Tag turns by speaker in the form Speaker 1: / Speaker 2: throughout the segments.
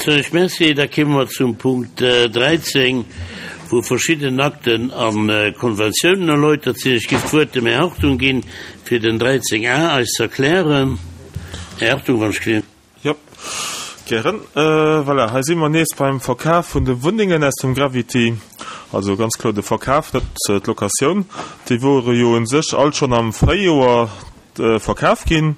Speaker 1: Soen ech Merci. Da kéime mer zum Punkt 13, wou verschidden Akten a Konventiounen erläutert sinn. Ech géif d'Wuert dem Här Hartung ginn, fir den 13 a eis ze erklären. Här Hartung, wann ech gleewen.
Speaker 2: Jo, gären. Voilà, hei si mer nees beim Verkaf vun de Wunnengen aus dem Gravity. Also ganz kloer de Verkaf, net d'Locatioun. Déi wore jo u sech all schonn am Fréijoer verkaf ginn.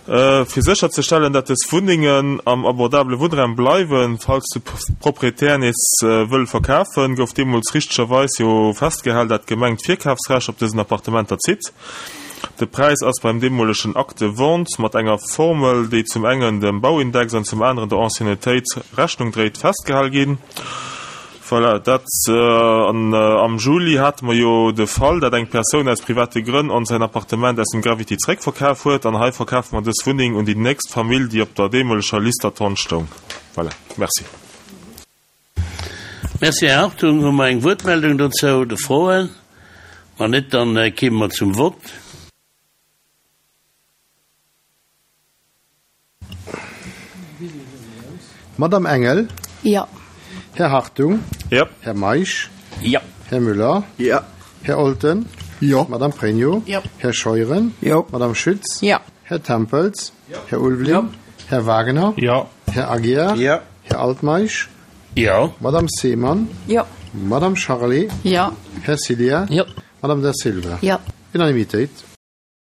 Speaker 2: Fir sécherzestellen, dat dës Wunnengen am abordabele Wunnraum bleiwen, falls de Proprietär nees wëll verkafen, gouf deemools richtegerweis jo festgehal, dat d'Gemeng d'Virkafsrecht op dësen Appartementer zitt. De Präis ass beim deemolegen Acte de vente mat enger Formel, déi zum engen dem Bauindex an zum aneren der Anciennetéit Rechnung dréit, festgehal ginn. Voilà, dat. An am Juli hate mer jo de Fall, dat eng Persoun aus private Grënn ons säin Appartement aus dem Gravity zréckverkaf huet. An hei verkafe mer dës Wunneng un déi nächst Famill, déi op der deemoleger Liste d'attente stoung. Voilà, merci.
Speaker 1: Merci, Här Hartung. Hu mer eng Wuertmeldung dozou oder Froen? Wann net, dann kéime mer zum Vott.
Speaker 3: Madame Engel.
Speaker 4: Jo.
Speaker 3: Här Hartung.
Speaker 2: Jo.
Speaker 3: Här Meisch.
Speaker 1: Jo.
Speaker 3: Här Müller.
Speaker 5: Jo.
Speaker 3: Här Olten.
Speaker 5: Jo.
Speaker 3: Madame Pregno.
Speaker 4: Jo.
Speaker 3: Här Scheuren.
Speaker 5: Jo.
Speaker 3: Madame Schütz.
Speaker 4: Jo.
Speaker 3: Här Tempels. Här Ulveling.
Speaker 5: Jo.
Speaker 3: Här Wagener.
Speaker 2: Jo.
Speaker 3: Här Aguiar.
Speaker 5: Jo.
Speaker 3: Här Altmeisch.
Speaker 1: Jo.
Speaker 3: Madame Seemann.
Speaker 4: Jo.
Speaker 3: Madame Charlé.
Speaker 4: Jo.
Speaker 3: Här Ciliar.
Speaker 6: Jo.
Speaker 3: Madame Da Silva.
Speaker 4: Jo.
Speaker 3: Unanimitéit.